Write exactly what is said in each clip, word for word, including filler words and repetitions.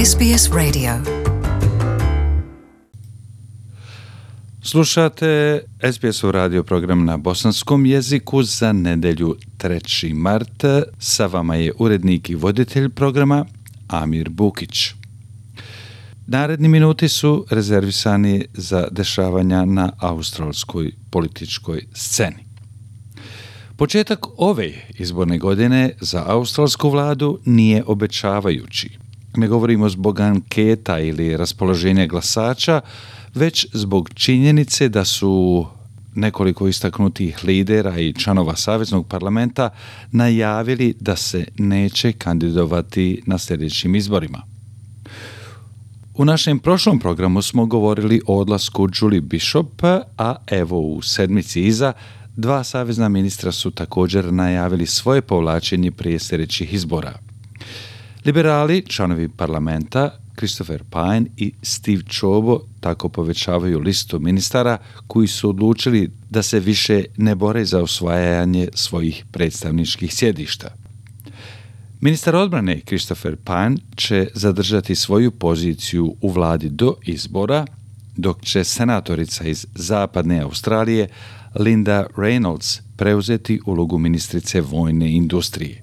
S B S Radio. Slušate S B S-ov radio program na bosanskom jeziku za nedelju treći mart. Sa vama je urednik i voditelj programa Amir Bukić. Naredni minuti su rezervisani za dešavanja na australskoj političkoj sceni. Početak ove izborne godine za australsku vladu nije obećavajući. Ne govorimo zbog anketa ili raspoloženja glasača, već zbog činjenice da su nekoliko istaknutih lidera i članova Saveznog parlamenta najavili da se neće kandidovati na sljedećim izborima. U našem prošlom programu smo govorili o odlasku Julie Bishop, a evo u sedmici iza dva savezna ministra su također najavili svoje povlačenje prije sljedećih izbora. Liberali, članovi parlamenta, Christopher Pyne i Steve Ciobo tako povećavaju listu ministara koji su odlučili da se više ne bore za osvajanje svojih predstavničkih sjedišta. Ministar odbrane Christopher Pyne će zadržati svoju poziciju u vladi do izbora, dok će senatorica iz zapadne Australije Linda Reynolds preuzeti ulogu ministrice vojne industrije.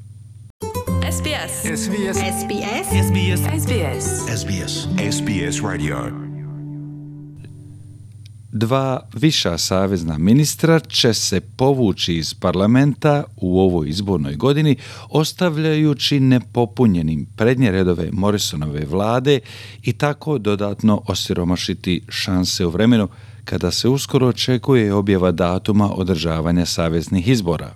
S B S. S B S. S B S. S B S. S B S. S B S. S B S Radio. Dva viša savezna ministra će se povući iz parlamenta u ovoj izbornoj godini, ostavljajući nepopunjenim prednje redove Morrisonove vlade i tako dodatno osiromašiti šanse u vremenu kada se uskoro očekuje objava datuma održavanja saveznih izbora.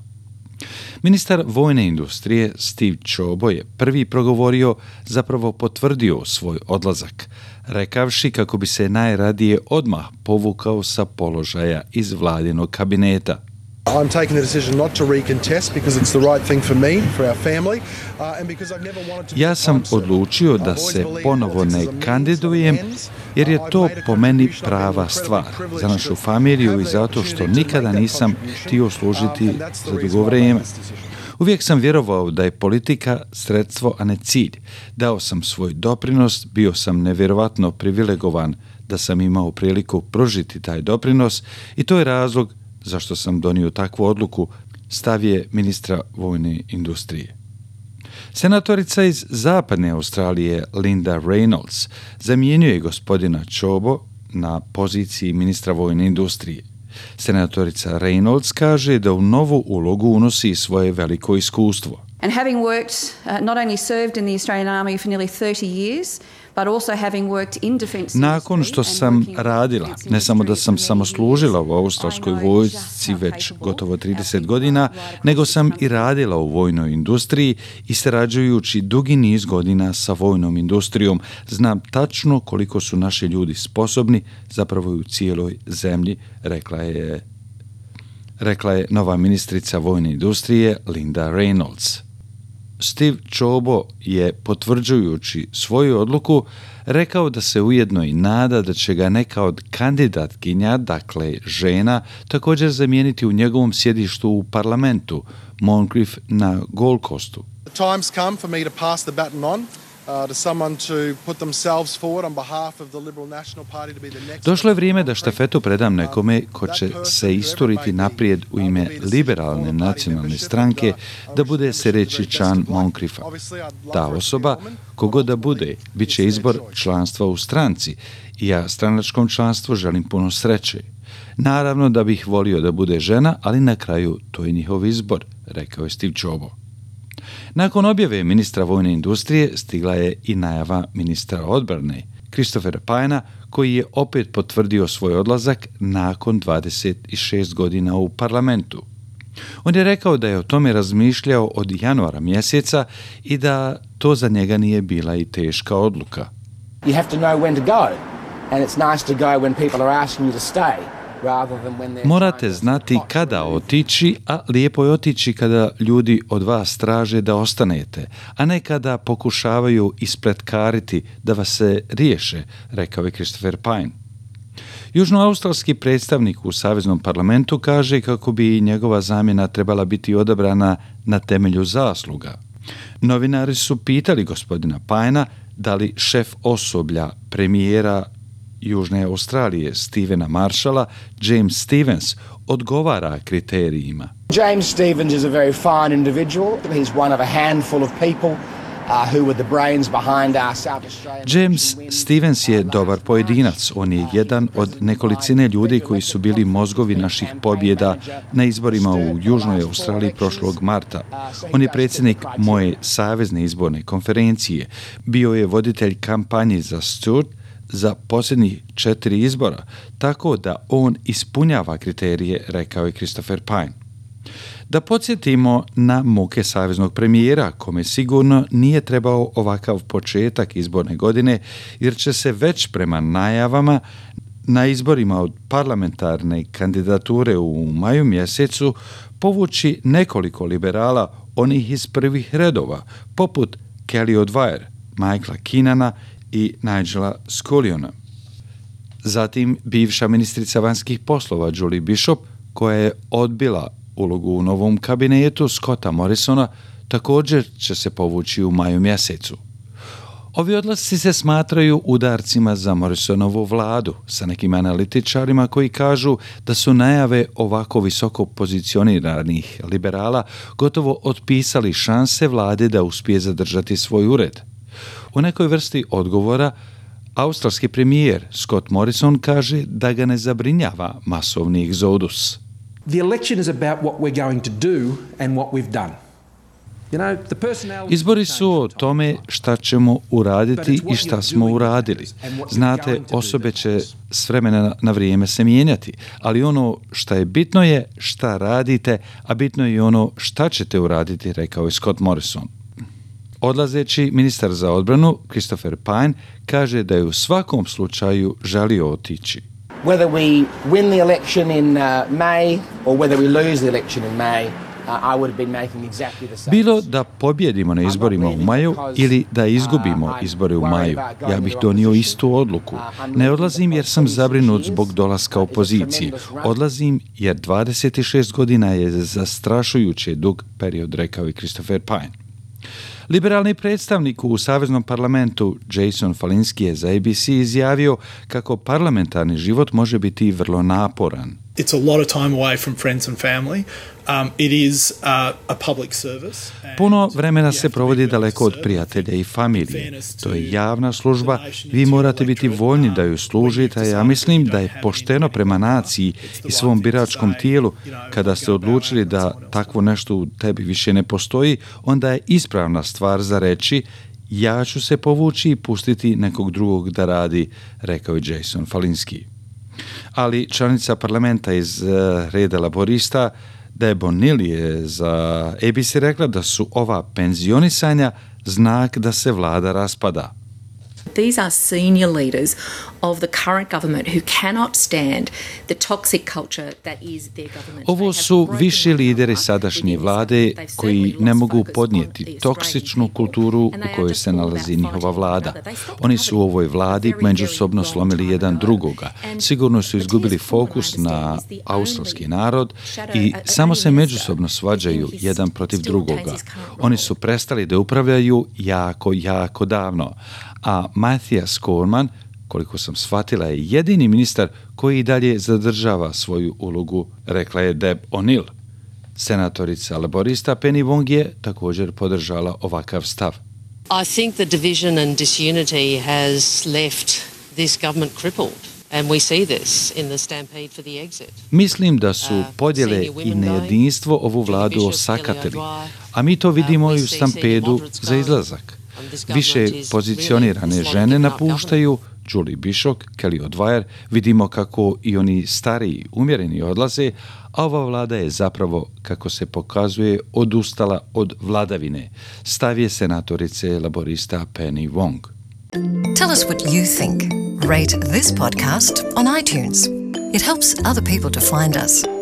Ministar vojne industrije Steve Ciobo je prvi progovorio, zapravo potvrdio svoj odlazak, rekavši kako bi se najradije odmah povukao sa položaja iz vladinog kabineta. I'm taking the decision not to recontest because it's the right thing for me, for our family, uh, and because I've never wanted to be Ja sam odlučio da se ponovo ne kandidujem jer je to po meni prava stvar za našu familiju i zato što nikada nisam htio služiti za dugo vrijeme. Uvijek sam vjerovao da je politika sredstvo, a ne cilj. Dao sam svoj doprinos, bio sam nevjerovatno privilegovan da sam imao priliku pružiti taj doprinos i to je razlog zašto sam donio takvu odluku, stav je ministra vojne industrije. Senatorica iz zapadne Australije Linda Reynolds zamjenjuje gospodina Ciobo na poziciji ministra vojne industrije. Senatorica Reynolds kaže da u novu ulogu unosi svoje veliko iskustvo. And having worked, uh, not only served in the Australian Army for nearly thirty years, but also having worked in defence. Nakon što sam radila, ne samo da sam samo služila u australskoj vojsci već gotovo trideset godina, nego sam i radila u vojnoj industriji i sarađujući dugi niz godina sa vojnom industrijom, znam tačno koliko su naši ljudi sposobni, zapravo u cijeloj zemlji, rekla je, rekla je nova ministrica vojne industrije Linda Reynolds. Steve Ciobo je, potvrđujući svoju odluku, rekao da se ujedno i nada da će ga neka od kandidatkinja, dakle žena, također zamijeniti u njegovom sjedištu u parlamentu, Moncrief na Gold Coastu. The time's come for me to pass the baton on. Uh, to someone to put themselves forward on behalf of the Liberal National Party to be the next. Došlo je vrijeme da štafetu predam nekome ko će se isturiti naprijed u ime liberalne nacionalne stranke da bude sljedeći član Moncriefa. Ta osoba, kogod da bude, bit će izbor članstva u stranci i ja stranačkom članstvu želim puno sreće. Naravno da bih volio da bude žena, ali na kraju to je njihov izbor, rekao je Steve Ciobo. Nakon objave ministra vojne industrije stigla je i najava ministra odbrane Christophera Pyna, koji je opet potvrdio svoj odlazak nakon dvadeset šest godina u parlamentu. On je rekao da je o tome razmišljao od januara mjeseca i da to za njega nije bila i teška odluka. You have to know when to go, and it's nice to go when people are asking you to stay. Morate znati kada otići, a lijepo je otići kada ljudi od vas traže da ostanete, a ne kada pokušavaju ispletkariti da vas se riješe, rekao je Christopher Pyne. Južnoaustralski predstavnik u Saveznom parlamentu kaže kako bi njegova zamjena trebala biti odabrana na temelju zasluga. Novinari su pitali gospodina Pyna da li šef osoblja premijera Južne Australije Stevena Marshalla, James Stephens, odgovara kriterijima. James Stephens is a very fine individual. He's one of a handful of people Uh, who were the brains behind our South Australian... James Stephens je dobar pojedinac. On je jedan od nekolicine ljudi koji su bili mozgovi naših pobjeda na izborima u Južnoj Australiji prošlog marta. On je predsjednik moje savezne izborne konferencije. Bio je voditelj kampanje za Stewart za posljednjih četiri izbora, tako da on ispunjava kriterije, rekao je Christopher Pyne. Da podsjetimo na muke saveznog premijera, kome sigurno nije trebao ovakav početak izborne godine, jer će se već prema najavama na izborima od parlamentarne kandidature u maju mjesecu povući nekoliko liberala, onih iz prvih redova, poput Kelly O'Dwyer, Michaela Keenana i Nigela Sculliona. Zatim bivša ministrica vanjskih poslova Julie Bishop, koja je odbila ulogu u novom kabinetu Scotta Morrisona, također će se povući u maju mjesecu. Ovi odlasci se smatraju udarcima za Morrisonovu vladu, sa nekim analitičarima koji kažu da su najave ovako visoko pozicioniranih liberala gotovo otpisali šanse vlade da uspije zadržati svoj ured. U nekoj vrsti odgovora australski premijer Scott Morrison kaže da ga ne zabrinjava masovni egzodus. The election is about what we're going to do and what we've done. You know, the personality... Izbori su o tome šta ćemo uraditi i šta smo uradili. Znate, osobe će s vremena na vrijeme se mijenjati, ali ono šta je bitno je šta radite, a bitno je i ono šta ćete uraditi, rekao je Scott Morrison. Odlazeći ministar za odbranu Christopher Pyne kaže da je u svakom slučaju želio otići. Whether we win the election in uh, May or whether we lose the election in May, uh, I would have been making exactly the same. Bilo da pobjedimo na izborima u maju ili da izgubimo izbore u maju, ja bih donio istu odluku. Ne odlazim jer sam zabrinut zbog dolaska opozicije. Odlazim jer dvadeset šest godina je zastrašujuće dug period, rekao je Christopher Pyne. Liberalni predstavnik u Saveznom parlamentu Jason Falinski je za A B C izjavio kako parlamentarni život može biti vrlo naporan. It's a lot of time away from friends and family. Um, it is uh, a public service. Puno vremena se provodi daleko od prijatelja i familije. To je javna služba. Vi morate biti voljni da ju služite. Ja mislim da je pošteno prema naciji i svom biračkom tijelu. Kada ste odlučili da takvo nešto u tebi više ne postoji, onda je ispravna stvar za reći ja ću se povući i pustiti nekog drugog da radi, rekao je Jason Falinski. Ali članica parlamenta iz uh, reda laborista Deb O'Neill je za A B C rekla da su ova penzionisanja znak da se vlada raspada. These are senior leaders of the current government who cannot stand the toxic culture that is their government. Ovo su viši lideri sadašnje vlade koji ne mogu podnijeti toksičnu kulturu u kojoj se nalazi njihova vlada. Oni su u ovoj vladi međusobno slomili jedan drugoga. Sigurno su izgubili fokus na australski narod i samo se međusobno svađaju jedan protiv drugoga. Oni su prestali da upravljaju jako, jako davno. A Matthias Cormann, koliko sam shvatila, je jedini ministar koji i dalje zadržava svoju ulogu, rekla je Deb O'Neill. Senatorica laborista Penny Wong je također podržala ovakav stav. I think the division and disunity has left this government crippled. And we see this in the stampede for the exit. Mislim da su podjele i nejedinstvo ovu vladu osakatili, a mi to vidimo i u stampedu za izlazak. Više pozicionirane žene napuštaju, Julie Bishop, Kelly O'Dwyer, vidimo kako i oni stariji, umjereni odlaze, a ova vlada je zapravo, kako se pokazuje, odustala od vladavine. Stav je senatorice laborista Penny Wong. Tell us what you think. Rate this podcast on iTunes. It helps other people to find us.